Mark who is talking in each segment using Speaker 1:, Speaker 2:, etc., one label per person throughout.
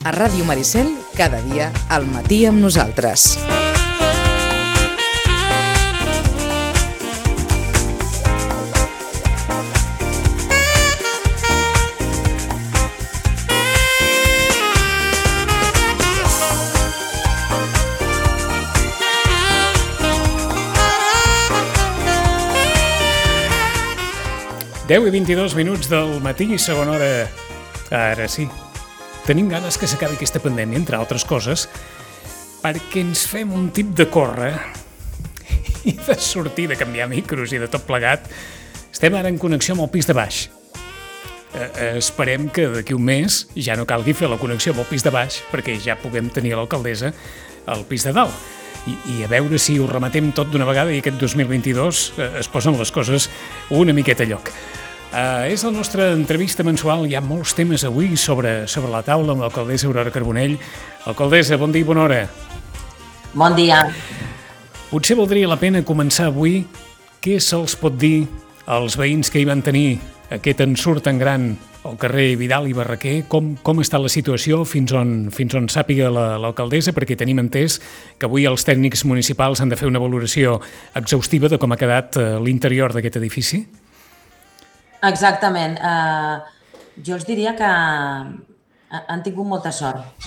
Speaker 1: A Ràdio Maricel, cada dia al matí amb nosaltres.
Speaker 2: Deu i 22 minuts del matí, segona hora. Ara sí. Tenim ganes que s'acabi aquesta pandèmia, entre altres coses, perquè ens fem un tip de córrer i de sortir, de canviar micros i de tot plegat. Estem ara en connexió amb el pis de baix. Esperem que d'aquí un mes ja no calgui fer la connexió amb el pis de baix, perquè ja puguem tenir l'alcaldessa al pis de dalt. I a veure si ho rematem tot d'una vegada i aquest 2022 es posen les coses una miqueta a lloc. És la nostra entrevista mensual, hi ha molts temes avui sobre la taula amb l'alcaldessa Aurora Carbonell. Alcaldessa, bon dia i bona hora.
Speaker 3: Bon dia.
Speaker 2: Potser valdria la pena començar avui. Què se'ls pot dir als veïns que hi van tenir aquest ensurt tan gran al carrer Vidal i Barraquer? Com està la situació fins on sàpiga l'alcaldessa? Perquè tenim entès que avui els tècnics municipals han de fer una valoració exhaustiva de com ha quedat l'interior d'aquest edifici.
Speaker 3: Exactament. Jo els diria que han tingut molta sort,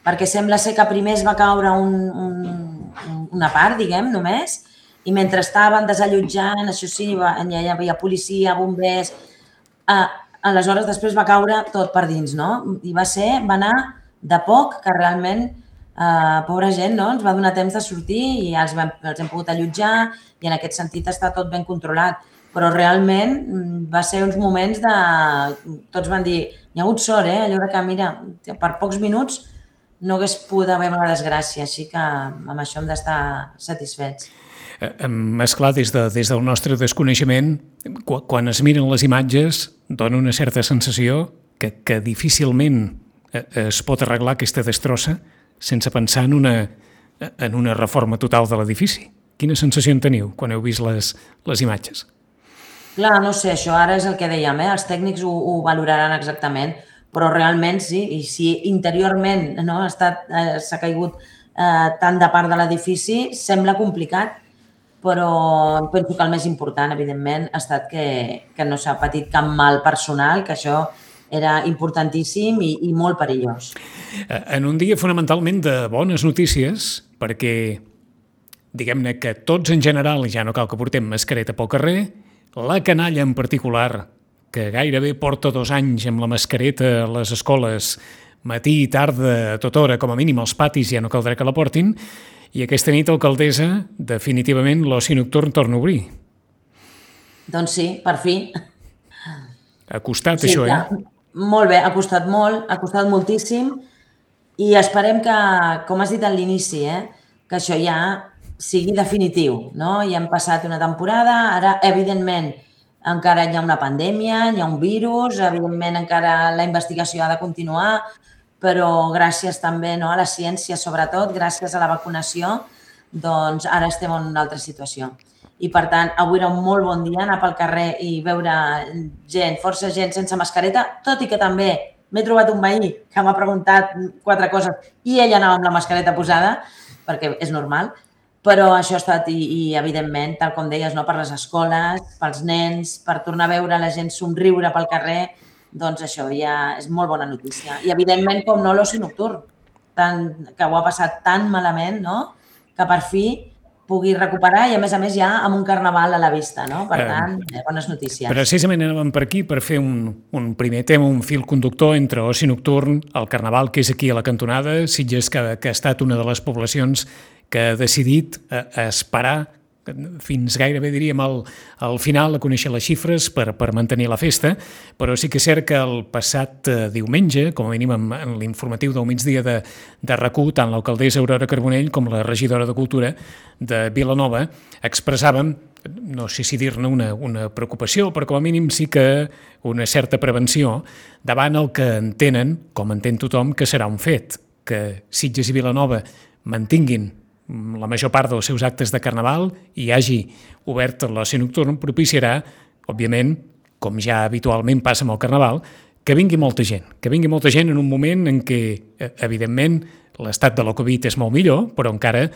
Speaker 3: perquè sembla ser que primer es va caure una part, diguem, només, i mentre estaven desallotjant, això sí, hi havia policia, bombers, aleshores després va caure tot per dins, no? I va anar de poc que realment, pobra gent, no? Ens va donar temps de sortir i els hem pogut allotjar i en aquest sentit està tot ben controlat. Però realment va ser uns moments de... Tots van dir, hi ha hagut sort, allò que, mira, per pocs minuts no hagués pogut haver una desgràcia, així que amb això hem d'estar satisfets.
Speaker 2: Esclar, des del nostre desconeixement, quan es miren les imatges, dona una certa sensació que difícilment es pot arreglar aquesta destrossa sense pensar en una reforma total de l'edifici. Quina sensació en teniu quan heu vist les imatges?
Speaker 3: Clar, no sé, això ara és el que dèiem, els tècnics ho valoraran exactament, però realment sí, i si interiorment s'ha caigut tant de part de l'edifici, sembla complicat, però penso que el més important, evidentment, ha estat que no s'ha patit cap mal personal, que això era importantíssim i molt perillós.
Speaker 2: En un dia fonamentalment de bones notícies, perquè diguem-ne que tots en general, ja no cal que portem mascareta pel carrer, la canalla en particular, que gairebé porta 2 anys amb la mascareta a les escoles, matí i tarda, a tota hora, com a mínim als patis ja no caldrà que la portin, i aquesta nit, alcaldessa, definitivament l'oci nocturn torna a obrir.
Speaker 3: Doncs sí, per fi.
Speaker 2: Ha costat això,
Speaker 3: Molt bé, ha costat molt, ha costat moltíssim, i esperem que, com has dit a l'inici, que això ja sigui definitiu, no? Ja hem passat una temporada, ara, evidentment, encara hi ha una pandèmia, hi ha un virus, evidentment encara la investigació ha de continuar, però gràcies també a la ciència, sobretot, gràcies a la vacunació, doncs ara estem en una altra situació. I, per tant, avui era un molt bon dia anar pel carrer i veure gent, força gent sense mascareta, tot i que també m'he trobat un veí que m'ha preguntat 4 coses i ell anava amb la mascareta posada, perquè és normal, però això ha estat, i evidentment, tal com deies, per les escoles, pels nens, per tornar a veure la gent somriure pel carrer, doncs això ja és molt bona notícia. I evidentment, com no, l'oci nocturn, que ho ha passat tan malament, que per fi pugui recuperar i, a més ja amb un carnaval a la vista, no? Per tant, bones notícies.
Speaker 2: Precisament anàvem per aquí per fer un primer tema, un fil conductor entre oci nocturn, el carnaval, que és aquí a la cantonada, Sitges, que ha estat una de les poblacions que ha decidit esperar fins gairebé, diríem, al final a conèixer les xifres per mantenir la festa, però sí que és cert que el passat diumenge, com a mínim en l'informatiu del migdia de RAC1, tant l'alcaldessa Aurora Carbonell com la regidora de Cultura de Vilanova expressàvem, no sé si dir-ne una preocupació, però com a mínim sí que una certa prevenció davant el que entenen, com entén tothom, que serà un fet, que Sitges i Vilanova mantinguin la major part dels seus actes de carnaval i hagi obert l'oci nocturn propiciarà, òbviament, com ja habitualment passa amb el carnaval, que vingui molta gent en un moment en què, evidentment, l'estat de la Covid és molt millor, però encara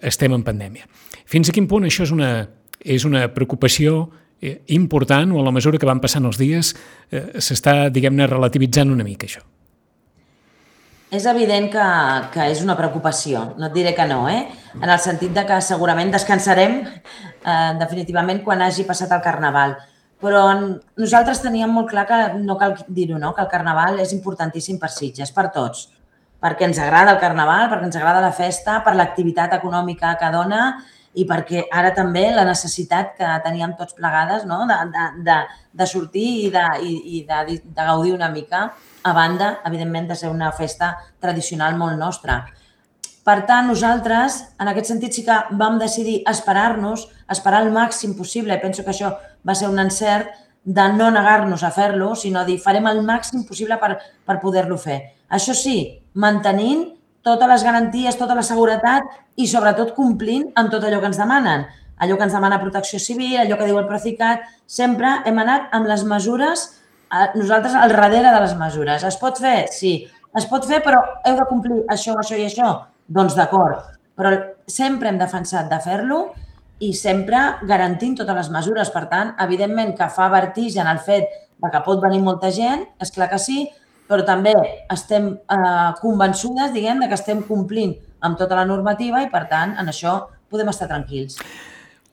Speaker 2: estem en pandèmia. Fins a quin punt això és una preocupació important o a la mesura que van passant els dies s'està, diguem-ne, relativitzant una mica això?
Speaker 3: És evident que és una preocupació, no et diré que no, en el sentit de que segurament descansarem definitivament quan hagi passat el Carnaval. Però nosaltres teníem molt clar que, no cal dir-ho, no? Que el Carnaval és importantíssim per Sitges, per tots. Perquè ens agrada el Carnaval, perquè ens agrada la festa, per l'activitat econòmica que dona i perquè ara també la necessitat que teníem tots plegades, no? de sortir i de gaudir una mica, a banda, evidentment, de ser una festa tradicional molt nostra. Per tant, nosaltres, en aquest sentit, sí que vam decidir esperar-nos, esperar el màxim possible, i penso que això va ser un encert, de no negar-nos a fer-lo, sinó dir, farem el màxim possible per poder-lo fer. Això sí, mantenint totes les garanties, tota la seguretat i, sobretot, complint amb tot allò que ens demanen. Allò que ens demana Protecció Civil, allò que diu el Procicat, sempre hem anat amb les mesures, nosaltres al darrere de les mesures. Es pot fer? Sí. Es pot fer, però heu de complir això, això i això? Doncs d'acord. Però sempre hem defensat de fer-lo i sempre garantint totes les mesures. Per tant, evidentment que fa vertigen el fet que pot venir molta gent, és clar que sí, però també estem convençudes, diguem, que estem complint amb tota la normativa i, per tant, en això podem estar tranquils.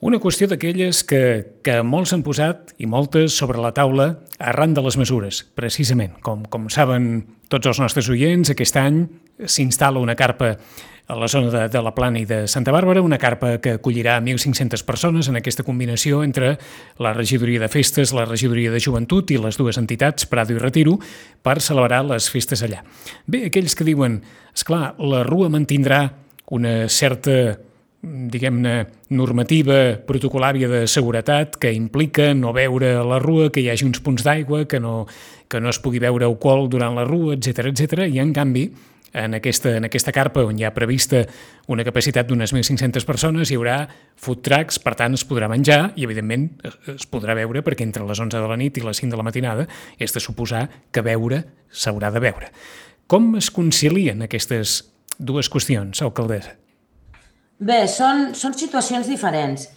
Speaker 2: Una qüestió d'aquelles que molts han posat i moltes sobre la taula arran de les mesures, precisament. Com saben tots els nostres oients, aquest any s'instal·la una carpa a la zona de la Plana i de Santa Bàrbara, una carpa que acollirà 1.500 persones en aquesta combinació entre la regidoria de festes, la regidoria de joventut i les dues entitats, Prado i Retiro, per celebrar les festes allà. Bé, aquells que diuen, esclar, la Rua mantindrà una certa, diguem-ne, normativa protocolària de seguretat que implica no beure a la Rua, que hi hagi uns punts d'aigua, que no es pugui beure alcohol durant la Rua, etc. I, en canvi, en aquesta carpa on hi ha prevista una capacitat d'unes 1.500 persones hi haurà food trucks, per tant es podrà menjar i evidentment es podrà beure perquè entre les 11 de la nit i les 5 de la matinada és de suposar que beure s'haurà de beure. Com es concilien aquestes dues qüestions, alcaldessa?
Speaker 3: Bé, són situacions diferents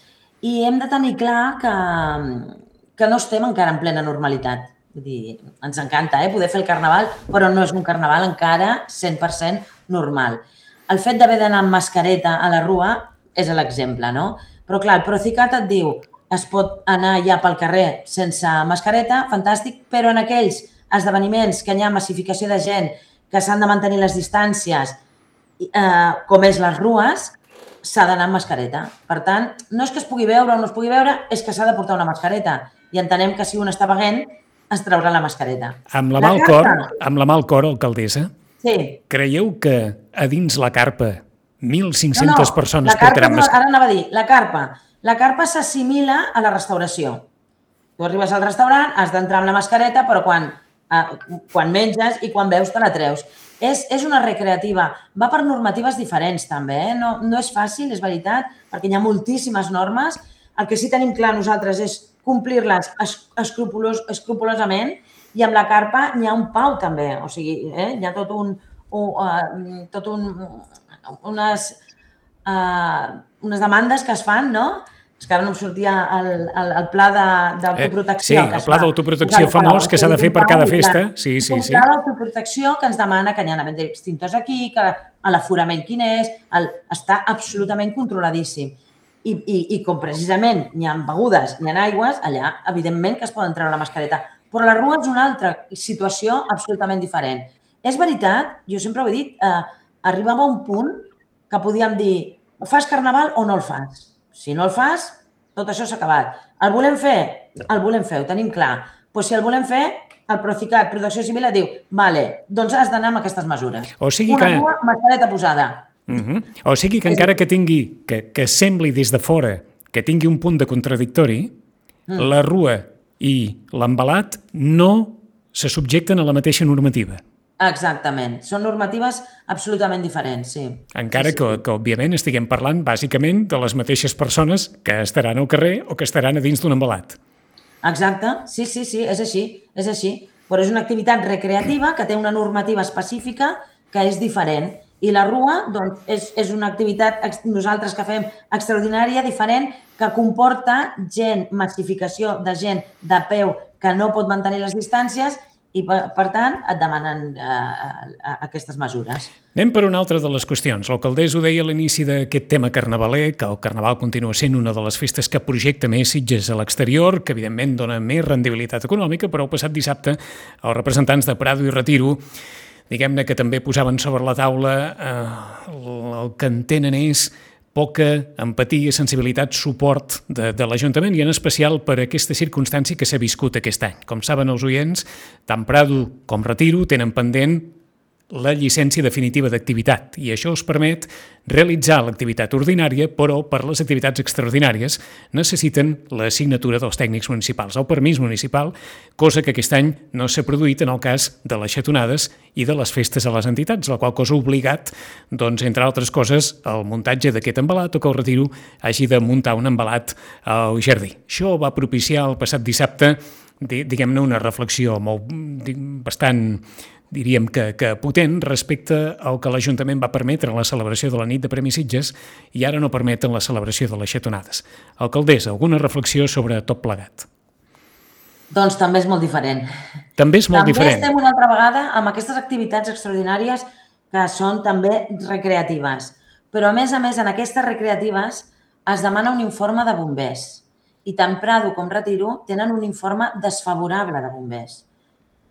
Speaker 3: i hem de tenir clar que no estem encara en plena normalitat. Vull dir, ens encanta poder fer el Carnaval, però no és un Carnaval encara 100% normal. El fet d'haver d'anar amb mascareta a la Rua és l'exemple, no? Però clar, el Procicat et diu es pot anar ja pel carrer sense mascareta, fantàstic, però en aquells esdeveniments que hi ha massificació de gent, que s'han de mantenir les distàncies, com és les rues, s'ha d'anar amb mascareta. Per tant, no és que es pugui veure o no es pugui veure, és que s'ha de portar una mascareta. I entenem que si un està beguent, es traurà la mascareta.
Speaker 2: Amb la mà al cor, alcaldessa,
Speaker 3: sí.
Speaker 2: Creieu que a dins la carpa 1.500 persones portaran mascareta?
Speaker 3: Ara anava a dir, la carpa s'assimila a la restauració. Tu arribes al restaurant, has d'entrar amb la mascareta, però quan menges i quan beus te la treus. És una recreativa. Va per normatives diferents, també. No és fàcil, és veritat, perquè hi ha moltíssimes normes. El que sí tenim clar nosaltres és complir-les escrupolosament i amb la carpa n'hi ha un pau, també. O sigui, hi ha unes demandes que es fan, no? És que ara no em sortia el pla d'autoprotecció.
Speaker 2: Sí, el pla d'autoprotecció famós que s'ha de fer per cada festa. Sí.
Speaker 3: Un pla d'autoprotecció que ens demana que n'hi ha extintors aquí, que l'aforament quin és, està absolutament controladíssim. I com precisament n'hi ha begudes, n'hi ha aigües, allà evidentment que es poden treure la mascareta. Però la Rua és una altra situació absolutament diferent. És veritat, jo sempre ho he dit, arribava a un punt que podíem dir fas Carnaval o no el fas. Si no el fas, tot això s'ha acabat. El volem fer? El volem fer, ho tenim clar. Doncs si el volem fer, el Procicat, Protecció Civil, et diu vale, doncs has d'anar amb aquestes mesures. Una Rua, mascareta posada.
Speaker 2: O sigui que encara que tingui, que sembli des de fora, que tingui un punt de contradictori, la Rua i l'embalat no se subjecten a la mateixa normativa.
Speaker 3: Exactament. Són normatives absolutament diferents, sí.
Speaker 2: Encara que òbviament, estiguem parlant bàsicament de les mateixes persones que estaran al carrer o que estaran a dins d'un embalat.
Speaker 3: Exacte. Sí, és així. Doncs però és una activitat recreativa que té una normativa específica que és diferent. I la rua doncs, és una activitat, nosaltres que fem extraordinària, diferent, que comporta massificació de gent de peu que no pot mantenir les distàncies i, per tant, et demanen aquestes mesures.
Speaker 2: Anem per una altra de les qüestions. L'alcaldessa ho deia a l'inici d'aquest tema carnavaler, que el carnaval continua sent una de les festes que projecta més Sitges a l'exterior, que evidentment dona més rendibilitat econòmica, però el passat dissabte els representants de Prado i Retiro diguem-ne que també posaven sobre la taula el que entenen és poca empatia, sensibilitat, suport de l'Ajuntament i en especial per aquesta circumstància que s'ha viscut aquest any. Com saben els oients, tant Prado com Retiro tenen pendent la llicència definitiva d'activitat i això us permet realitzar l'activitat ordinària, però per les activitats extraordinàries necessiten la signatura dels tècnics municipals, el permís municipal, cosa que aquest any no s'ha produït en el cas de les xatonades i de les festes a les entitats, la qual cosa ha obligat, doncs, entre altres coses, el muntatge d'aquest embalat o que el Retiro hagi de muntar un embalat al jardí. Això va propiciar el passat dissabte, diguem-ne, una reflexió bastant diríem que potent respecte al que l'Ajuntament va permetre en la celebració de la nit de Premis Sitges i ara no permeten la celebració de les xatonades. Alcaldessa, alguna reflexió sobre tot plegat?
Speaker 3: Doncs també és molt diferent.
Speaker 2: També és molt diferent.
Speaker 3: També estem una altra vegada amb aquestes activitats extraordinàries que són també recreatives. Però, a més, en aquestes recreatives es demana un informe de bombers. I tant Prado com Retiro tenen un informe desfavorable de bombers.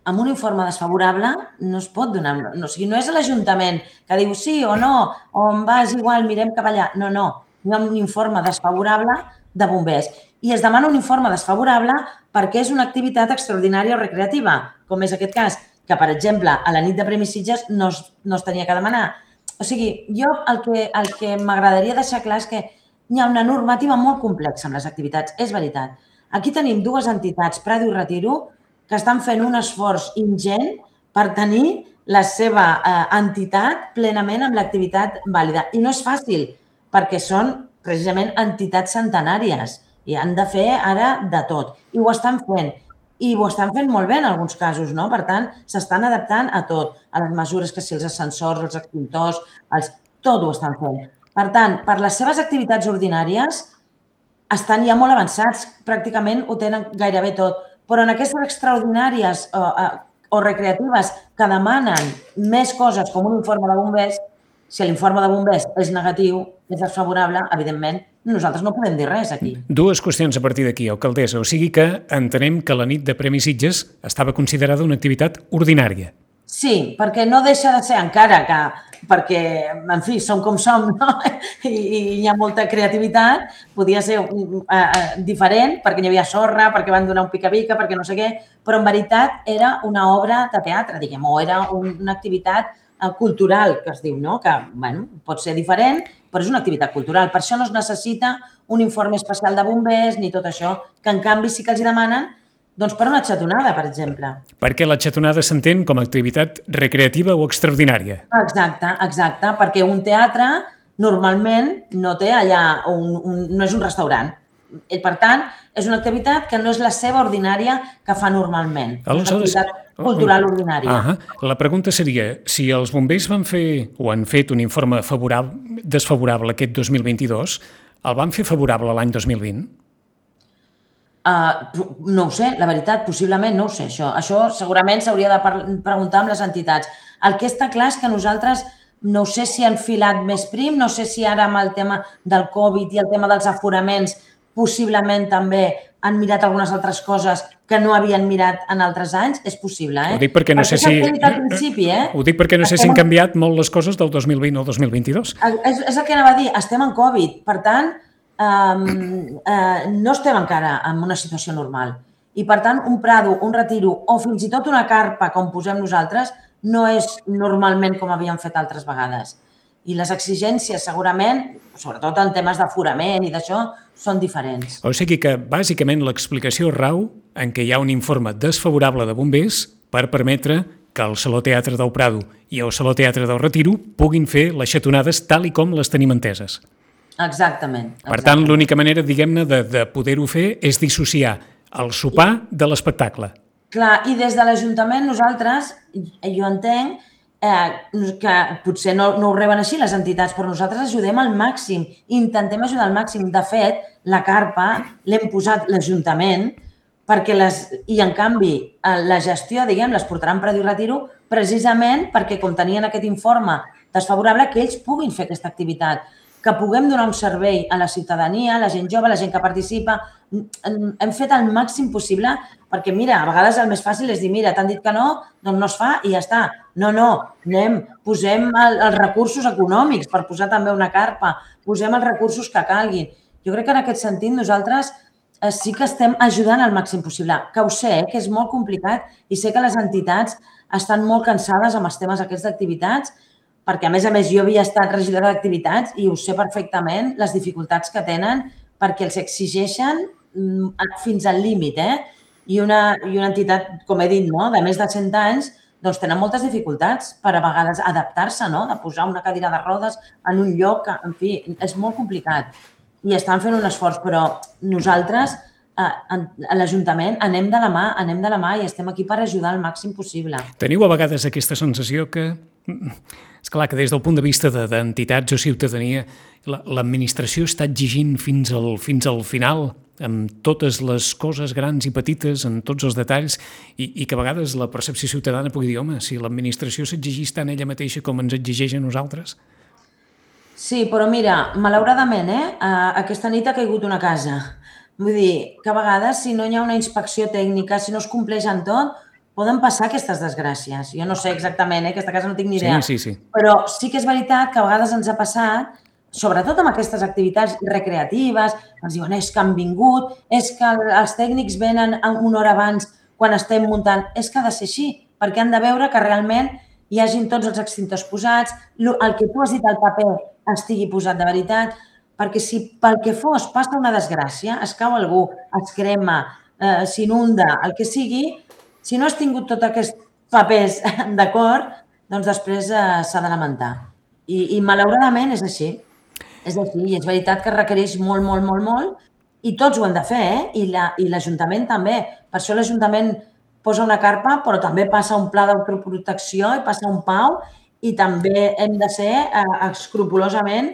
Speaker 3: Amb un informe desfavorable no es pot donar... O sigui, no és l'Ajuntament que diu sí o no, o em vas igual, mirem cap allà. No, no. Hi ha un informe desfavorable de bombers. I es demana un informe desfavorable perquè és una activitat extraordinària o recreativa, com és aquest cas, que, per exemple, a la nit de Premis Sitges no es tenia que demanar. O sigui, jo el que m'agradaria deixar clar és que hi ha una normativa molt complexa amb les activitats, és veritat. Aquí tenim dues entitats, Prado i Retiro, que estan fent un esforç ingent per tenir la seva entitat plenament amb l'activitat vàlida. I no és fàcil, perquè són precisament entitats centenàries i han de fer ara de tot. I ho estan fent. I ho estan fent molt bé en alguns casos, no? Per tant, s'estan adaptant a tot, a les mesures que si els ascensors, els extintors, tot ho estan fent. Per tant, per les seves activitats ordinàries estan ja molt avançats, pràcticament ho tenen gairebé tot. Però en aquestes extraordinàries o recreatives que demanen més coses com un informe de bombers, si l'informe de bombers és negatiu, és desfavorable, evidentment, nosaltres no podem dir res aquí.
Speaker 2: Dues qüestions a partir d'aquí, alcaldessa. O sigui que entenem que la nit de Premis Sitges estava considerada una activitat ordinària.
Speaker 3: Sí, perquè no deixa de ser encara que... perquè, en fi, som com som, no? I hi ha molta creativitat, podia ser diferent, perquè hi havia sorra, perquè van donar un pica-pica, perquè no sé què, però en veritat era una obra de teatre, diguem, o era una activitat cultural, que es diu, no? Que, bueno, pot ser diferent, però és una activitat cultural. Per això no es necessita un informe especial de bombers ni tot això, que en canvi sí que els demanen doncs per una xatonada, per exemple. Perquè
Speaker 2: la xatonada s'entén com a activitat recreativa o extraordinària.
Speaker 3: Exacte, perquè un teatre normalment no té allà, no és un restaurant. Per tant, és una activitat que no és la seva ordinària que fa normalment. És una activitat cultural ordinària.
Speaker 2: La pregunta seria, si els bombers van fer o han fet un informe desfavorable aquest 2022, el van fer favorable l'any 2020?
Speaker 3: No ho sé, la veritat, possiblement no ho sé, això. Això segurament s'hauria de preguntar amb les entitats. El que està clar és que nosaltres no sé si han filat més prim, no sé si ara amb el tema del Covid i el tema dels aforaments possiblement també han mirat algunes altres coses que no havien mirat en altres anys, és possible,
Speaker 2: Ho dic perquè no sé si han canviat molt les coses del 2020 al 2022.
Speaker 3: És el que anava a dir, estem en Covid, per tant, no estem encara en una situació normal. I, per tant, un Prado, un Retiro o fins i tot una carpa, com posem nosaltres, no és normalment com havíem fet altres vegades. I les exigències, segurament, sobretot en temes d'aforament i d'això, són diferents.
Speaker 2: O sigui que, bàsicament, l'explicació rau en què hi ha un informe desfavorable de bombers per permetre que el Saló Teatre del Prado i el Saló Teatre del Retiro puguin fer les xatonades tal i com les tenim enteses.
Speaker 3: Exactament.
Speaker 2: Per tant, l'única manera, diguem-ne, de poder-ho fer és dissociar el sopar de l'espectacle.
Speaker 3: Clar, i des de l'Ajuntament nosaltres, jo entenc que potser no ho reben així les entitats, però nosaltres ajudem al màxim, intentem ajudar al màxim. De fet, la carpa l'hem posat l'Ajuntament i en canvi la gestió, diguem, les portaran per i retiro precisament perquè com tenien aquest informe desfavorable que ells puguin fer aquesta activitat, que puguem donar un servei a la ciutadania, a la gent jove, a la gent que participa. Hem fet el màxim possible perquè, mira, a vegades el més fàcil és dir, mira, t'han dit que no, doncs no es fa i ja està. No, posem els recursos econòmics per posar també una carpa, posem els recursos que calguin. Jo crec que en aquest sentit nosaltres sí que estem ajudant al màxim possible, que ho sé, que és molt complicat i sé que les entitats estan molt cansades amb els temes aquests d'activitats, perquè, a més, jo havia estat regidora d'activitats i ho sé perfectament, les dificultats que tenen, perquè els exigeixen fins al límit, I una entitat, com he dit, de més de 100 anys, doncs tenen moltes dificultats per a vegades adaptar-se, de posar una cadira de rodes en un lloc, en fi, és molt complicat. I estan fent un esforç, però nosaltres, a l'Ajuntament, anem de la mà i estem aquí per ajudar al màxim possible.
Speaker 2: Teniu a vegades aquesta sensació que... És clar que des del punt de vista d'entitats o ciutadania, l'administració està exigint fins al final, amb totes les coses grans i petites, en tots els detalls, i que a vegades la percepció ciutadana pugui dir, home, si l'administració s'exigís tant ella mateixa com ens exigeix a nosaltres.
Speaker 3: Sí, però mira, malauradament, aquesta nit ha caigut una casa. Vull dir, que a vegades, si no hi ha una inspecció tècnica, si no es compleix en tot, poden passar aquestes desgràcies. Jo no sé exactament, aquesta casa no tinc ni idea.
Speaker 2: Sí.
Speaker 3: Però sí que és veritat que a vegades ens ha passat, sobretot amb aquestes activitats recreatives, ens diuen és que han vingut, és que els tècnics venen una hora abans quan estem muntant. És que ha de ser així, perquè han de veure que realment hi hagin tots els extintors posats, el que tu has dit al paper estigui posat de veritat, perquè si pel que fos passa una desgràcia, es cau algú, es crema, s'inunda, el que sigui, si no has tingut tots aquests papers d'acord, doncs després s'ha de lamentar. I malauradament és així. És així, i és veritat que requereix molt, i tots ho hem de fer, i l'Ajuntament també. Per això l'Ajuntament posa una carpa, però també passa un pla d'autoprotecció i passa un PAU, i també hem de ser escrupolosament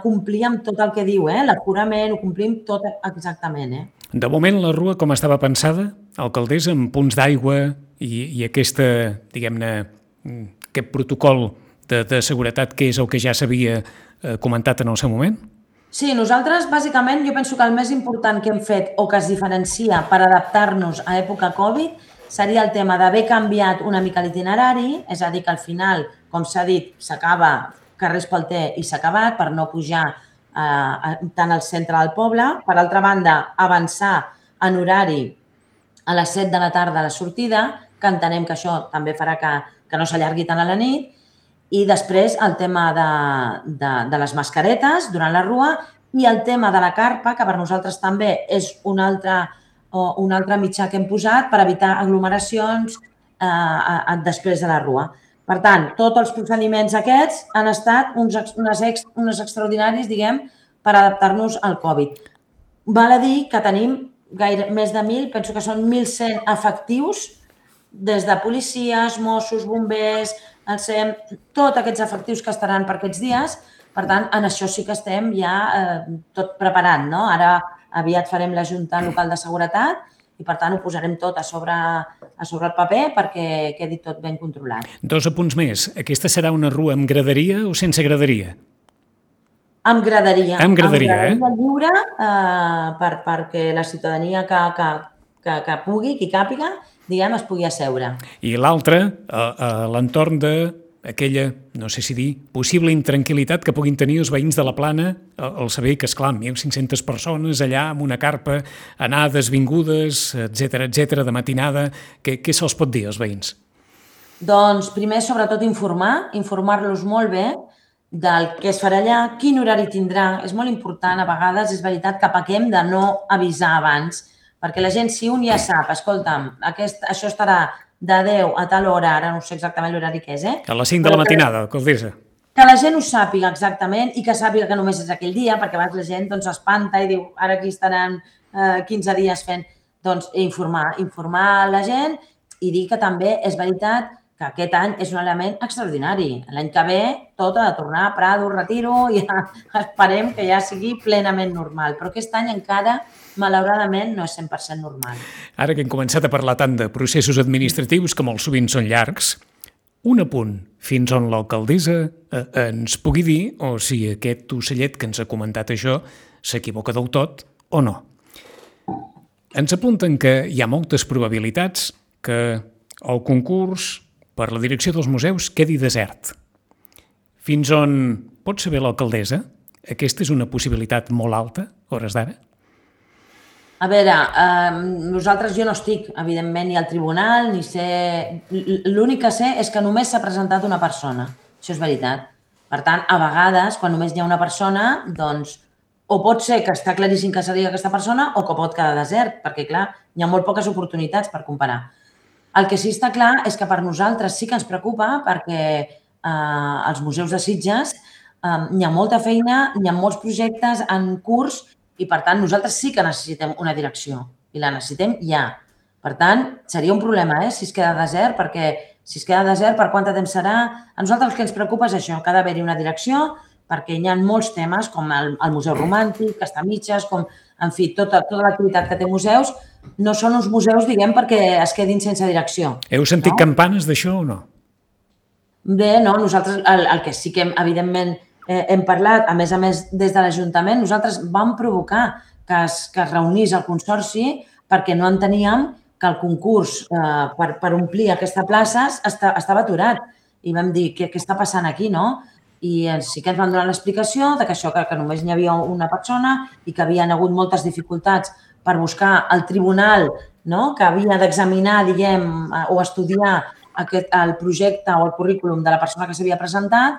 Speaker 3: complir amb tot el que diu, l'aforament, ho complim tot exactament.
Speaker 2: De moment, la rua com estava pensada, alcaldessa, amb punts d'aigua i aquesta, diguem-ne, aquest protocol de seguretat que és el que ja s'havia comentat en el seu moment?
Speaker 3: Sí, nosaltres, bàsicament, jo penso que el més important que hem fet o que es diferencia per adaptar-nos a època Covid seria el tema d'haver canviat una mica l'itinerari, és a dir, que al final, com s'ha dit, s'acaba carrer Espalter i s'ha acabat per no pujar tant al centre del poble. Per altra banda, avançar en horari a les 7 de la tarda a la sortida, que entenem que això també farà que no s'allargui tant a la nit. I després el tema de les mascaretes durant la rua i el tema de la carpa, que per nosaltres també és un altre mitjà que hem posat per evitar aglomeracions després de la rua. Per tant, tots els procediments aquests han estat uns extraordinaris, diguem, per adaptar-nos al Covid. Val a dir que tenim més de 1.000, penso que són 1.100 efectius, des de policies, Mossos, bombers, el SEM, tots aquests efectius que estaran per aquests dies. Per tant, en això sí que estem ja tot preparant, no? Ara aviat farem la Junta Local de Seguretat i, per tant, ho posarem tot a sobre el paper perquè quedi tot ben controlat.
Speaker 2: 2 apunts més. Aquesta serà una rua amb graderia o sense graderia?
Speaker 3: Amb graderia.
Speaker 2: Amb graderia,
Speaker 3: lliure perquè la ciutadania que pugui, qui càpiga, diguem, es pugui asseure.
Speaker 2: I l'altra, a l'entorn d'aquella, no sé si dir, possible intranquil·litat que puguin tenir els veïns de la Plana al saber que, esclar, 1.500 persones allà amb una carpa, anades, vingudes, etc, de matinada, què se'ls pot dir als veïns?
Speaker 3: Doncs primer, sobretot, informar-los molt bé del que es farà allà, quin horari tindrà. És molt important, a vegades, és veritat, que pequem de no avisar abans, perquè la gent, si un ja sap, escolta'm, això estarà de 10 a tal hora, ara no sé exactament l'horari que és,
Speaker 2: A les 5 de la matinada, alcaldessa.
Speaker 3: Que la gent ho sàpiga exactament i que sàpiga que només és aquell dia, perquè a vegades la gent s'espanta i diu, ara aquí estaran 15 dies fent. Doncs informar la gent i dir que també és veritat que aquest any és un element extraordinari. L'any que ve tot ha de tornar a Prado, retiro, i esperem que ja sigui plenament normal. Però aquest any encara, malauradament, no és 100% normal.
Speaker 2: Ara que hem començat a parlar tant de processos administratius que molt sovint són llargs, un apunt fins on l'alcaldessa ens pugui dir o si aquest ocellet que ens ha comentat això s'equivoca del tot o no. Ens apunten que hi ha moltes probabilitats que el concurs per la direcció dels museus quedi desert. Fins on pot saber l'alcaldessa? Aquesta és una possibilitat molt alta, a hores d'ara?
Speaker 3: A veure, jo no estic, evidentment, ni al tribunal, ni sé... L'únic que sé és que només s'ha presentat una persona. Això és veritat. Per tant, a vegades, quan només hi ha una persona, doncs, o pot ser que està claríssim que seria aquesta persona o que pot quedar desert, perquè, clar, hi ha molt poques oportunitats per comparar. El que sí està clar és que per nosaltres sí que ens preocupa perquè als museus de Sitges hi ha molta feina, hi ha molts projectes en curs i, per tant, nosaltres sí que necessitem una direcció i la necessitem ja. Per tant, seria un problema si es queda desert, perquè si es queda desert, per quant temps serà? A nosaltres el que ens preocupa és això, que ha d'haver-hi una direcció, perquè hi ha molts temes, com el Museu Romàntic, que està a mitges, com, en fi, tota l'activitat que té museus, no són uns museus, diguem, perquè es quedin sense direcció.
Speaker 2: Heu sentit campanes d'això o no?
Speaker 3: Bé, no, nosaltres el que sí que, evidentment, hem parlat, a més, des de l'Ajuntament, nosaltres vam provocar que es reunís el Consorci perquè no enteníem que el concurs per omplir aquesta plaça estava aturat. I vam dir, què està passant aquí, no? I sí que ens van donar l'explicació que això, que només hi havia una persona i que havien hagut moltes dificultats per buscar el tribunal, que havia d'examinar, diguem, o estudiar el projecte o el currículum de la persona que s'havia presentat,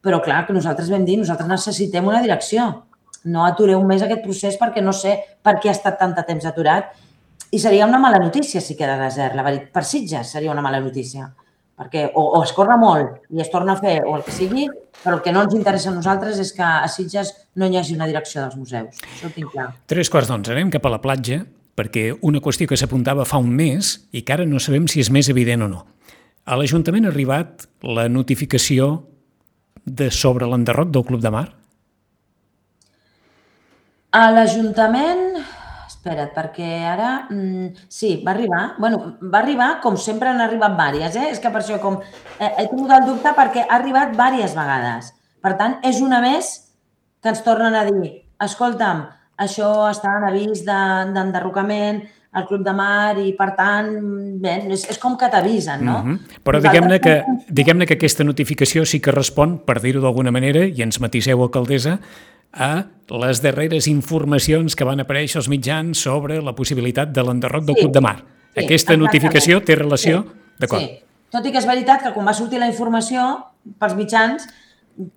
Speaker 3: però clar, que nosaltres vam dir, nosaltres necessitem una direcció. No atureu més aquest procés perquè no sé per què ha estat tant de temps aturat. I seria una mala notícia si queda desert, la veritat. Per Sitges seria una mala notícia. Perquè o es corre molt i es torna a fer o el que sigui, però el que no ens interessa a nosaltres és que a Sitges no hi hagi una direcció dels museus. Això ho tinc clar.
Speaker 2: 3:15, anem cap a la platja, perquè una qüestió que s'apuntava fa un mes i que ara no sabem si és més evident o no. A l'Ajuntament ha arribat la notificació sobre l'enderroc del Club de Mar?
Speaker 3: A l'Ajuntament... Espera't, perquè ara... Sí, va arribar. Bueno, va arribar com sempre han arribat vàries, És que per això he tingut el dubte perquè ha arribat vàries vegades. Per tant, és una més que ens tornen a dir escolta'm, això està en avís d'enderrocament al Club de Mar i, per tant, bé, és com que t'avisen, no?
Speaker 2: Però diguem-ne que aquesta notificació sí que respon, per dir-ho d'alguna manera, i ens matiseu, alcaldessa, a les darreres informacions que van aparèixer als mitjans sobre la possibilitat de l'enderroc del Club de Mar. Aquesta notificació té relació? D'acord.
Speaker 3: Sí, tot i que és veritat que quan va sortir la informació pels mitjans...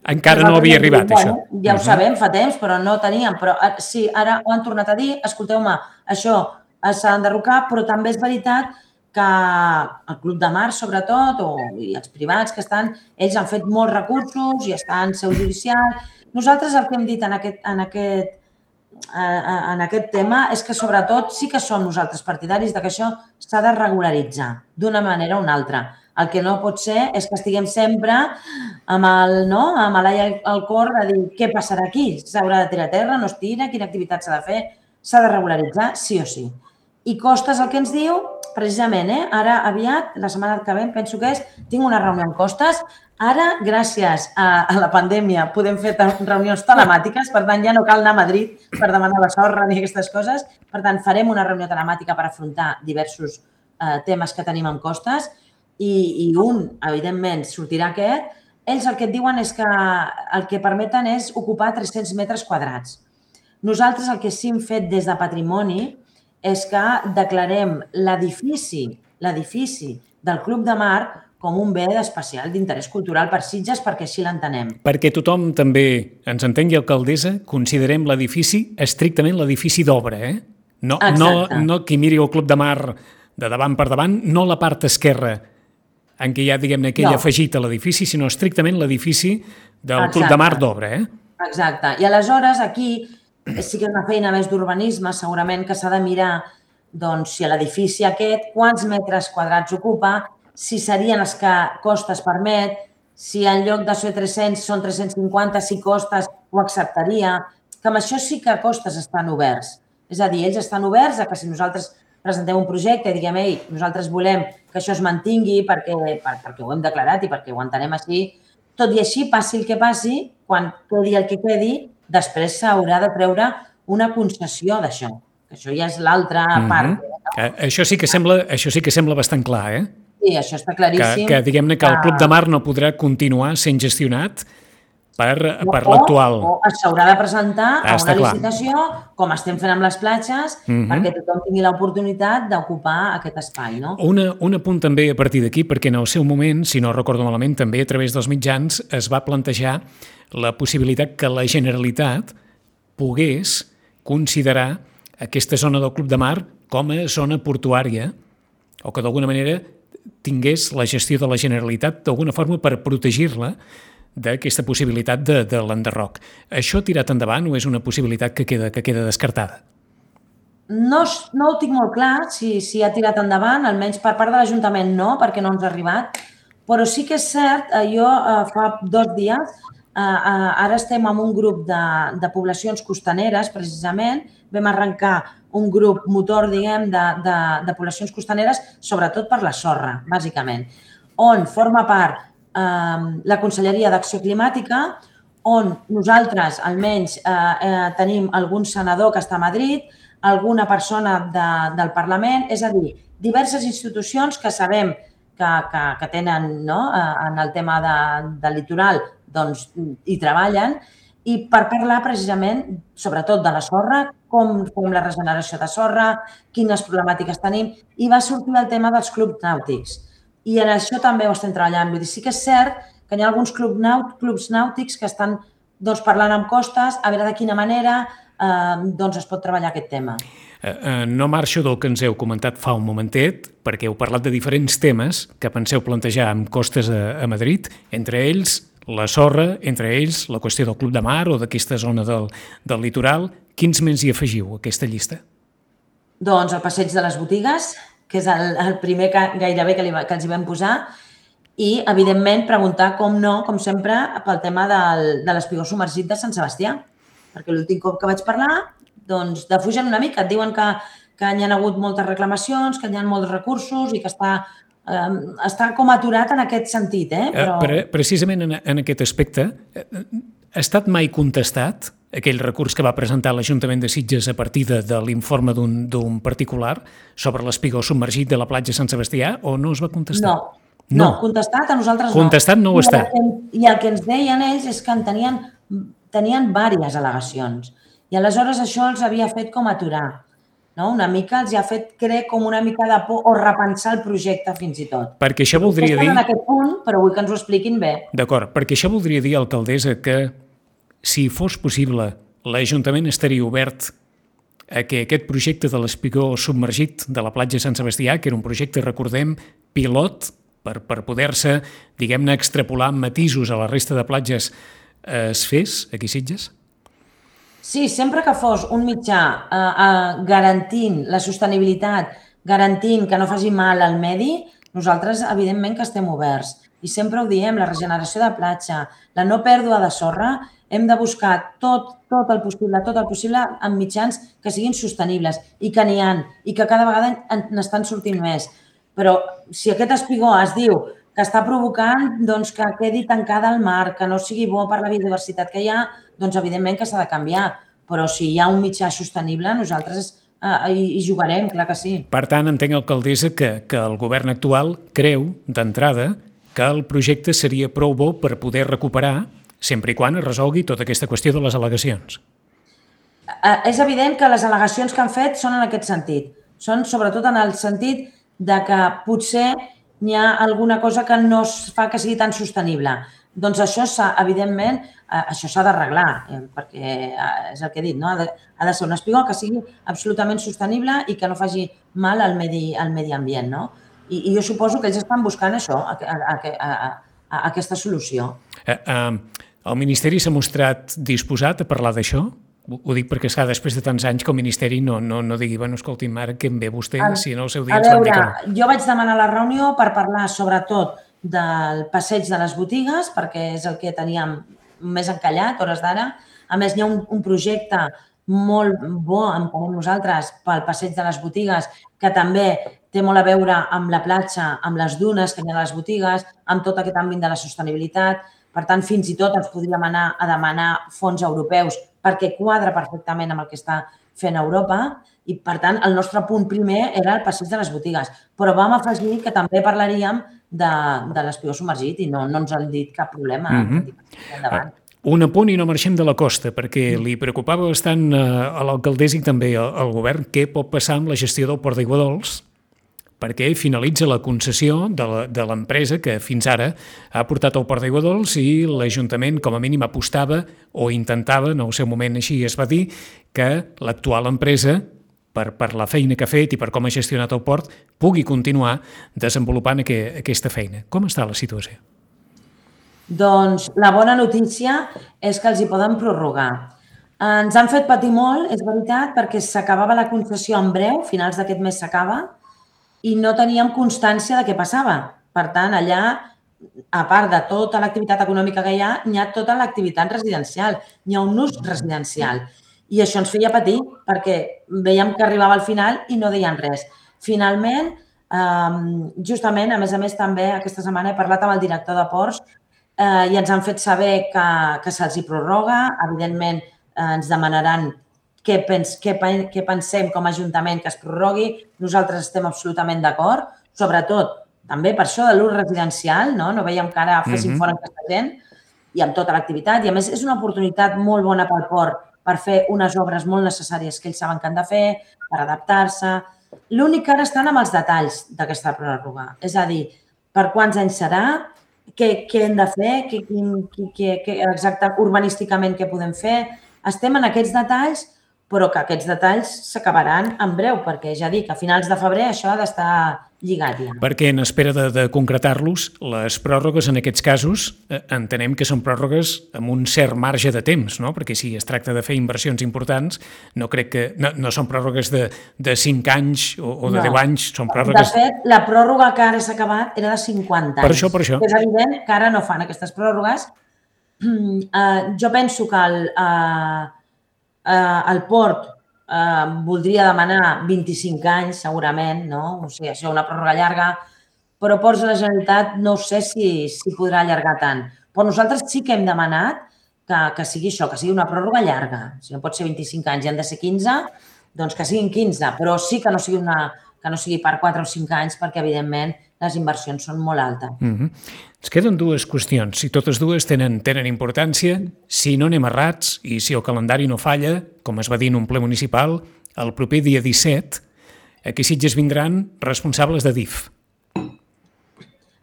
Speaker 2: Encara no havia arribat, això.
Speaker 3: Ja ho sabem, fa temps, però no teníem. Però sí, ara ho han tornat a dir, escolteu-me, això s'ha d'enderrocar, però també és veritat que el Club de Mar, sobretot, i els privats que estan, ells han fet molts recursos i estan en seu judicial. Nosaltres el que hem dit en aquest tema és que, sobretot, sí que som nosaltres partidaris que això s'ha de regularitzar d'una manera o una altra. El que no pot ser és que estiguem sempre amb l'ai al cor de dir què passarà aquí, s'haurà de tirar a terra, no es tira, quina activitat s'ha de fer, s'ha de regularitzar sí o sí. I Costes el que ens diu, precisament, ara aviat, la setmana que ve, penso que tinc una reunió amb Costes. Ara, gràcies a la pandèmia, podem fer reunions telemàtiques, per tant, ja no cal anar a Madrid per demanar la sorra ni aquestes coses. Per tant, farem una reunió telemàtica per afrontar diversos temes que tenim amb Costes i evidentment, sortirà aquest. Ells el que et diuen és que el que permeten és ocupar 300 metres quadrats. Nosaltres el que sí hem fet des de Patrimoni és que declarem l'edifici del Club de Mar com un bé especial d'interès cultural per Sitges, perquè així l'entenem.
Speaker 2: Perquè tothom també ens entengui, alcaldessa, considerem l'edifici estrictament l'edifici d'obra, No qui miri el Club de Mar de davant per davant, no la part esquerra en què hi ha, diguem-ne, aquell afegit a l'edifici, sinó estrictament l'edifici del Club de Mar d'obra,
Speaker 3: Exacte. I aleshores aquí sí que és una feina més d'urbanisme, segurament que s'ha de mirar doncs, si l'edifici aquest, quants metres quadrats ocupa, si serien els que costes permet, si en lloc de ser 300 són 350, si costes ho acceptaria, que amb això sí que costes estan oberts. És a dir, ells estan oberts a que si nosaltres presentem un projecte i diguem, ei, nosaltres volem que això es mantingui perquè ho hem declarat i perquè ho entenem així, tot i així, passi el que passi, quan quedi el que quedi, després s'haurà de treure una concessió d'això. Això ja és l'altra part.
Speaker 2: Això sí que sembla bastant clar, eh?
Speaker 3: Sí, això està claríssim.
Speaker 2: Que diguem-ne que el Club de Mar no podrà continuar sent gestionat per l'actual.
Speaker 3: O s'haurà de presentar a una licitació, com estem fent amb les platges, perquè tothom tingui l'oportunitat d'ocupar aquest espai. No?
Speaker 2: Un apunt també a partir d'aquí, perquè en el seu moment, si no recordo malament, també a través dels mitjans es va plantejar la possibilitat que la Generalitat pogués considerar aquesta zona del Club de Mar com a zona portuària o que d'alguna manera tingués la gestió de la Generalitat d'alguna forma per protegir-la d'aquesta possibilitat de l'enderroc. Això tirat endavant o és una possibilitat que queda descartada?
Speaker 3: No ho tinc molt clar si ha tirat endavant, almenys per part de l'Ajuntament no, perquè no ens ha arribat, però sí que és cert, jo fa 2 dies, ara estem en un grup de poblacions costaneres, precisament, vam arrencar un grup motor, diguem, de poblacions costaneres, sobretot per la sorra, bàsicament, on forma part la Conselleria d'Acció Climàtica, on nosaltres almenys tenim algun senador que està a Madrid, alguna persona del Parlament, és a dir, diverses institucions que sabem que tenen en el tema del litoral doncs hi treballen i per parlar precisament sobretot de la sorra, com la regeneració de sorra, quines problemàtiques tenim i va sortir el tema dels clubs nàutics. I en això també ho estem treballant. Vull dir, sí que és cert que hi ha alguns clubs nàutics que estan parlant amb Costes a veure de quina manera es pot treballar aquest tema.
Speaker 2: No marxo del que ens heu comentat fa un momentet, perquè heu parlat de diferents temes que penseu plantejar amb Costes a Madrid, entre ells la sorra, entre ells la qüestió del Club de Mar o d'aquesta zona del litoral. Quins més hi afegiu a aquesta llista?
Speaker 3: Doncs el passeig de les botigues, que és el primer gairebé que els hi vam posar, i, evidentment, preguntar, com sempre, pel tema de l'espigó submergit de Sant Sebastià, perquè l'últim cop que vaig parlar, doncs, defugen una mica. Et diuen que hi ha hagut moltes reclamacions, que hi ha molts recursos i que està com aturat en aquest sentit. Però...
Speaker 2: Precisament en aquest aspecte, ha estat mai contestat aquell recurs que va presentar l'Ajuntament de Sitges a partir de l'informe d'un particular sobre l'espigó submergit de la platja Sant Sebastià o no es va contestar?
Speaker 3: No, contestat a nosaltres no.
Speaker 2: Contestat no ho està.
Speaker 3: I el que ens deien ells és que en tenien diverses al·legacions i aleshores això els havia fet com aturar. Una mica els ha fet, crec, com una mica de por o repensar el projecte fins i tot.
Speaker 2: Perquè això voldria dir...
Speaker 3: Estan en aquest punt, però vull que ens ho expliquin bé.
Speaker 2: D'acord, perquè això voldria dir, alcaldessa, que si fos possible l'Ajuntament estaria obert a que aquest projecte de l'espigó submergit de la platja Sant Sebastià, que era un projecte, recordem, pilot, per poder-se, diguem-ne, extrapolar matisos a la resta de platges, es fes aquí a Sitges?
Speaker 3: Sí, sempre que fos un mitjà garantint la sostenibilitat, garantint que no faci mal al medi, nosaltres, evidentment, que estem oberts. I sempre ho diem, la regeneració de platja, la no pèrdua de sorra, hem de buscar tot el possible amb mitjans que siguin sostenibles i que n'hi ha, i que cada vegada n'estan sortint més. Però si aquest espigó es diu que està provocant que quedi tancada al mar, que no sigui bo per la biodiversitat que hi ha, doncs evidentment que s'ha de canviar. Però si hi ha un mitjà sostenible, nosaltres hi jugarem, clar que sí.
Speaker 2: Per tant, entenc, alcaldessa, que el govern actual creu, d'entrada, que el projecte seria prou bo per poder recuperar, sempre i quan es resolgui tota aquesta qüestió de les al·legacions.
Speaker 3: És evident que les al·legacions que han fet són en aquest sentit. Són sobretot en el sentit de que potser n'hi ha alguna cosa que no es fa que sigui tan sostenible. Doncs això, evidentment, això s'ha d'arreglar, perquè és el que he dit, no? Ha de ser un espigó que sigui absolutament sostenible i que no faci mal al medi ambient, no? I jo suposo que ells estan buscant això, aquesta solució.
Speaker 2: El Ministeri s'ha mostrat disposat a parlar d'això? Ho dic perquè, esclar, després de tants anys que el Ministeri no digui, bueno, escolti'm, ara què em ve vostè, si en el seu dia ens van dir que no.
Speaker 3: Jo vaig demanar la reunió per parlar sobretot del passeig de les botigues, perquè és el que teníem més encallat, hores d'ara. A més, hi ha un projecte molt bo, entenem nosaltres, pel passeig de les botigues, que també té molt a veure amb la platja, amb les dunes que hi ha a les botigues, amb tot aquest àmbit de la sostenibilitat. Per tant, fins i tot ens podríem anar a demanar fons europeus perquè quadra perfectament amb el que està fent Europa i, per tant, el nostre punt primer era el passeig de les botigues. Però vam afegir que també parlaríem de l'espigó submergit i no ens han dit cap problema. Endavant.
Speaker 2: Un apunt i no marxem de la costa, perquè li preocupava bastant a l'alcaldessa i també al govern què pot passar amb la gestió del Port d'Aiguadols, perquè finalitza la concessió de l'empresa que fins ara ha portat al Port d'Aiguadols i l'Ajuntament com a mínim apostava o intentava, en el seu moment així es va dir, que l'actual empresa, per la feina que ha fet i per com ha gestionat el port, pugui continuar desenvolupant aquesta feina. Com està la situació?
Speaker 3: Doncs la bona notícia és que els hi poden prorrogar. Ens han fet patir molt, és veritat, perquè s'acabava la concessió en breu, finals d'aquest mes s'acaba, i no teníem constància de què passava. Per tant, allà, a part de tota l'activitat econòmica que hi ha tota l'activitat residencial, hi ha un ús residencial. I això ens feia patir, perquè veiem que arribava al final i no deien res. Finalment, justament, a més, també aquesta setmana he parlat amb el director de Ports i ens han fet saber que se'ls hi prorroga. Evidentment, ens demanaran què pensem com a Ajuntament que es prorrogui. Nosaltres estem absolutament d'acord, sobretot també per això de l'ús residencial, no veiem que ara fessin fora aquesta gent i amb tota l'activitat. I a més és una oportunitat molt bona pel port per fer unes obres molt necessàries que ells saben que han de fer, per adaptar-se. L'únic que ara estan amb els detalls d'aquesta pròrroga, és a dir, per quants anys serà, què hem de fer, exacte urbanísticament què podem fer. Estem en aquests detalls, però que aquests detalls s'acabaran en breu, perquè ja dic, a finals de febrer això ha d'estar lligat ja.
Speaker 2: Perquè en espera de concretar-los, les pròrrogues en aquests casos entenem que són pròrrogues amb un cert marge de temps, no? Perquè si es tracta de fer inversions importants, no crec que no són pròrrogues de 5 anys o de 10 anys, són pròrrogues...
Speaker 3: De fet, la pròrroga que ara s'ha acabat era de 50 anys.
Speaker 2: Per això.
Speaker 3: És evident que ara no fan aquestes pròrrogues. Jo penso que el port voldria demanar 25 anys, segurament, no? O sigui, això és una pròrroga llarga, però Ports de la Generalitat no sé si podrà allargar tant. Però nosaltres sí que hem demanat que sigui això, que sigui una pròrroga llarga. Si no pot ser 25 anys i han de ser 15, doncs que siguin 15, però sí que no sigui per 4 o 5 anys, perquè, evidentment, les inversions són molt altes.
Speaker 2: Ens queden dues qüestions. Si totes dues tenen importància, si no anem errats i si el calendari no falla, com es va dir en un ple municipal, el proper dia 17, aquí a Sitges vindran responsables de DIF.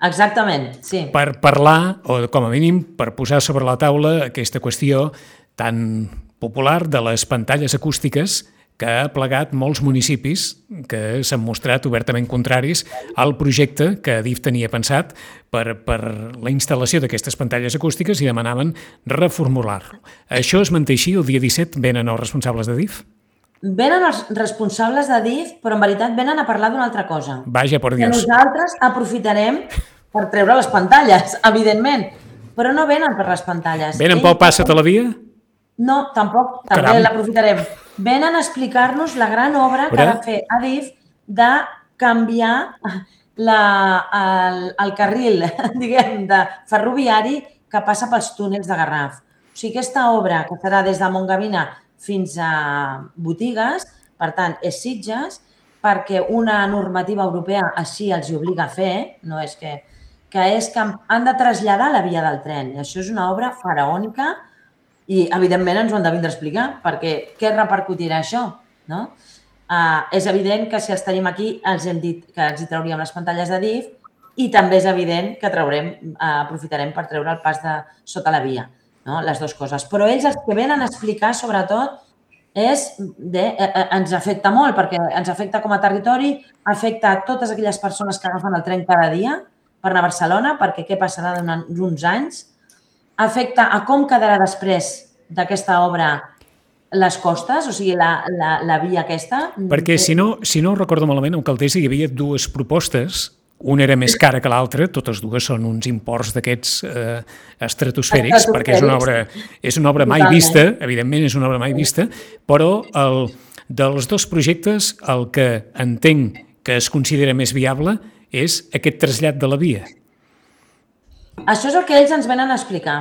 Speaker 3: Exactament, sí.
Speaker 2: Per parlar, o com a mínim, per posar sobre la taula aquesta qüestió tan popular de les pantalles acústiques que ha plegat molts municipis que s'han mostrat obertament contraris al projecte que DIF tenia pensat per la instal·lació d'aquestes pantalles acústiques i demanaven reformular-lo. Això es manté així? El dia 17 venen els responsables de DIF?
Speaker 3: Venen els responsables de DIF, però en veritat venen a parlar d'una altra cosa.
Speaker 2: Vaja, por Dios.
Speaker 3: Que nosaltres aprofitarem per treure les pantalles, evidentment, però no venen per les pantalles.
Speaker 2: Venen pel Passa't a la Via?
Speaker 3: No, tampoc, també l'aprofitarem. Venen a explicar-nos la gran obra que ha de fer Adif de canviar el carril, diguem, de ferroviari que passa pels túnels de Garraf. O sigui, aquesta obra, que serà des de Montgavina fins a Botigues, per tant, és Sitges, perquè una normativa europea així els obliga a fer, no és que és que han de traslladar la via del tren. I això és una obra faraònica i, evidentment, ens ho han de vindre a explicar, perquè què repercutirà això? No? És evident que si els tenim aquí els hem dit que els hi trauríem les pantalles de DIF i també és evident que aprofitarem per treure el pas de sota la via, no? Les dues coses. Però ells els que venen a explicar, sobretot, ens afecta molt, perquè ens afecta com a territori, afecta a totes aquelles persones que agafen el tren cada dia per anar a Barcelona, perquè què passarà d'uns anys, afecta a com quedarà després d'aquesta obra les costes, o sigui, la via aquesta.
Speaker 2: Perquè si no recordo malament, a Caldesa hi havia dues propostes. Una era més cara que l'altra, totes dues són uns imports d'aquests estratosfèrics, perquè és una obra mai vista, evidentment és una obra mai vista, però dels dos projectes el que entenc que es considera més viable és aquest trasllat de la via.
Speaker 3: Això és el que ells ens venen a explicar.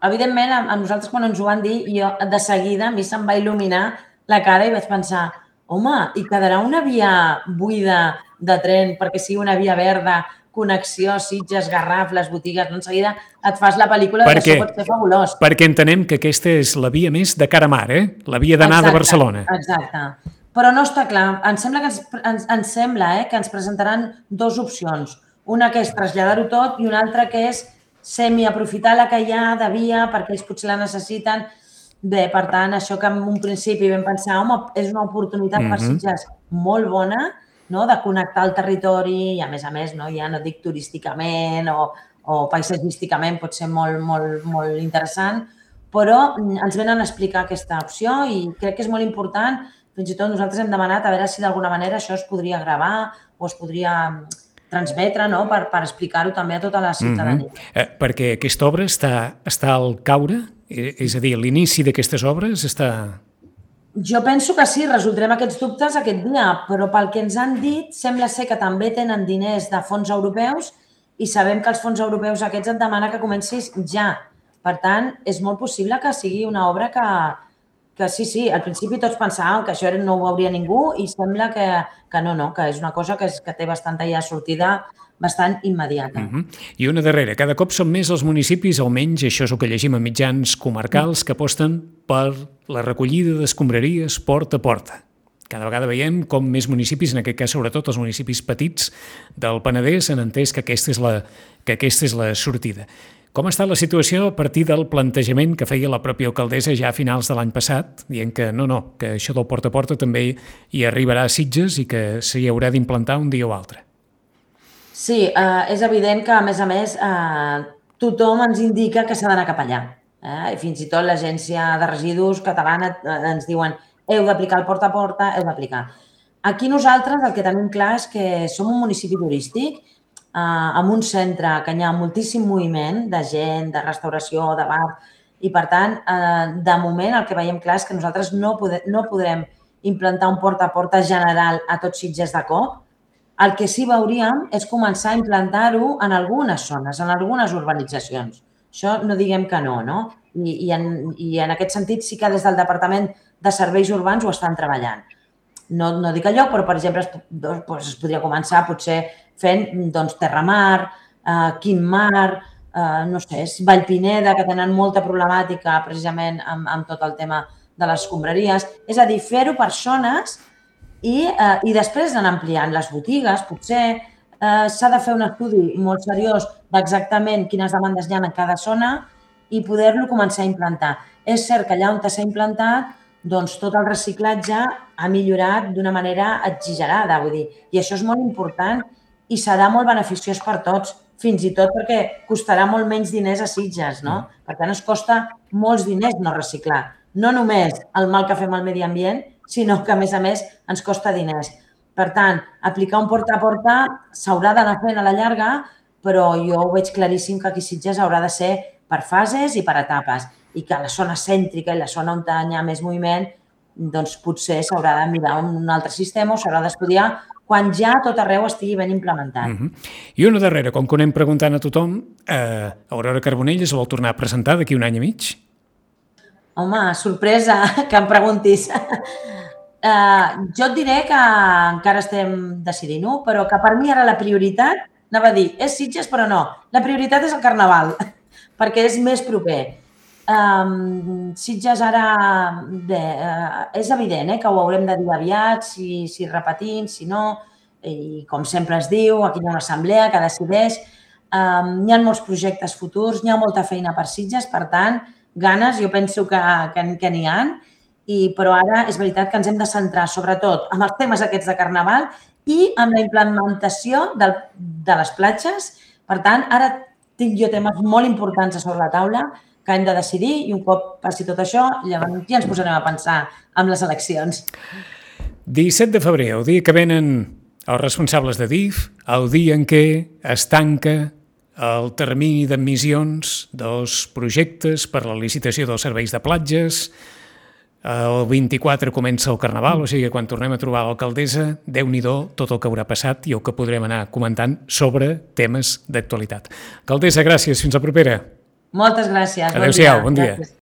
Speaker 3: Evidentment, a nosaltres quan ens ho van dir, jo de seguida a mi se'm va il·luminar la cara i vaig pensar, home, i quedarà una via buida de tren perquè sigui una via verda, connexió, Sitges, Garraf, les botigues, en seguida et fas la pel·lícula que això pot ser fabulós.
Speaker 2: Perquè entenem que aquesta és la via més de cara a mar, la via d'anar de Barcelona.
Speaker 3: Exacte. Però no està clar. Ens sembla que ens presentaran dues opcions. Una que és traslladar-ho tot i una altra que és semi-aprofitar la que hi ha de via perquè ells potser la necessiten. Bé, per tant, això que en un principi vam pensar, home, és una oportunitat per Sitges molt bona, de connectar el territori i, a més, ja no dic turísticament o paisatgísticament, pot ser molt, molt, molt interessant, però ens venen a explicar aquesta opció i crec que és molt important. Fins i tot nosaltres hem demanat a veure si d'alguna manera això es podria gravar o es podria transmetre per explicar-ho també a tota la ciutadania.
Speaker 2: Perquè aquesta obra està al caure? És a dir, l'inici d'aquestes obres està...
Speaker 3: Jo penso que sí, resoldrem aquests dubtes aquest dia, però pel que ens han dit, sembla ser que també tenen diners de fons europeus i sabem que els fons europeus aquests et demanen que comencis ja. Per tant, és molt possible que sigui una obra que sí, al principi tots pensàvem que això no ho veuria ningú i sembla que no, que és una cosa que té bastanta ja sortida bastant immediata.
Speaker 2: I una darrera, cada cop són més els municipis, almenys això és el que llegim a mitjans comarcals, que aposten per la recollida d'escombraries porta a porta. Cada vegada veiem com més municipis, en aquest cas sobretot els municipis petits del Penedès, han entès que aquesta és la sortida. Com està la situació a partir del plantejament que feia la pròpia alcaldessa ja a finals de l'any passat, dient que que això del porta a porta també hi arribarà a Sitges i que s'hi haurà d'implantar un dia o altre?
Speaker 3: Sí, és evident que, a més, tothom ens indica que s'ha d'anar cap allà. Fins i tot l'Agència de Residus catalana ens diuen heu d'aplicar el porta a porta, heu d'aplicar. Aquí nosaltres el que tenim clar és que som un municipi turístic amb un centre que hi ha moltíssim moviment de gent, de restauració, de bar, i per tant, de moment el que veiem clar és que nosaltres no podrem implantar un porta a porta general a tots Sitges de cop. El que sí veuríem és començar a implantar-ho en algunes zones, en algunes urbanitzacions. Això no diguem que no, no? I en aquest sentit sí que des del Departament de Serveis Urbans ho estan treballant. No dic allò, però, per exemple, es podria començar potser fent Terramar, Quintmar, no sé, Vallpineda, que tenen molta problemàtica precisament amb tot el tema de les escombraries. És a dir, fer-ho per zones i després anar ampliant les botigues, potser s'ha de fer un estudi molt seriós d'exactament quines demandes hi ha en cada zona i poder-lo començar a implantar. És cert que allà on s'ha implantat, doncs tot el reciclatge ha millorat d'una manera exagerada, vull dir, i això és molt important i serà molt beneficiós per tots, fins i tot perquè costarà molt menys diners a Sitges, no? Per tant, es costa molts diners no reciclar. No només el mal que fem al medi ambient, sinó que, a més, ens costa diners. Per tant, aplicar un porta a porta s'haurà d'anar fent a la llarga, però jo ho veig claríssim que aquí Sitges haurà de ser per fases i per etapes, i que la zona cèntrica i la zona on hi ha més moviment, doncs potser s'haurà de mirar un altre sistema o s'haurà d'estudiar quan ja tot arreu estigui ben implementat.
Speaker 2: I una darrera, com que ho anem preguntant a tothom, Aurora Carbonell es vol tornar a presentar d'aquí un any i mig?
Speaker 3: Home, sorpresa que em preguntis. Jo et diré que encara estem decidint-ho, però que per mi ara la prioritat, anava a dir, és Sitges, però no. La prioritat és el Carnaval, perquè és més proper. Sitges ara, bé, és evident que ho haurem de dir aviat, si repetim, si no, i com sempre es diu, aquí hi ha una assemblea que decideix. Hi ha molts projectes futurs, hi ha molta feina per Sitges, per tant, ganes, jo penso que n'hi ha, però ara és veritat que ens hem de centrar sobretot en els temes aquests de Carnaval i en la implementació de les platges. Per tant, ara tinc jo temes molt importants a sobre la taula que hem de decidir i un cop passi tot això, llavors ja ens posarem a pensar amb les eleccions.
Speaker 2: 17 de febrer, el dia que venen els responsables de DIF, el dia en què es tanca el termini d'admissions dels projectes per la licitació dels serveis de platges. El 24 comença el Carnaval, o sigui que quan tornem a trobar l'alcaldessa, Déu-n'hi-do tot el que haurà passat i el que podrem anar comentant sobre temes d'actualitat. Alcaldessa, gràcies. Fins la propera.
Speaker 3: Moltes gràcies.
Speaker 2: Adéu-siau, bon dia.
Speaker 3: Gràcies.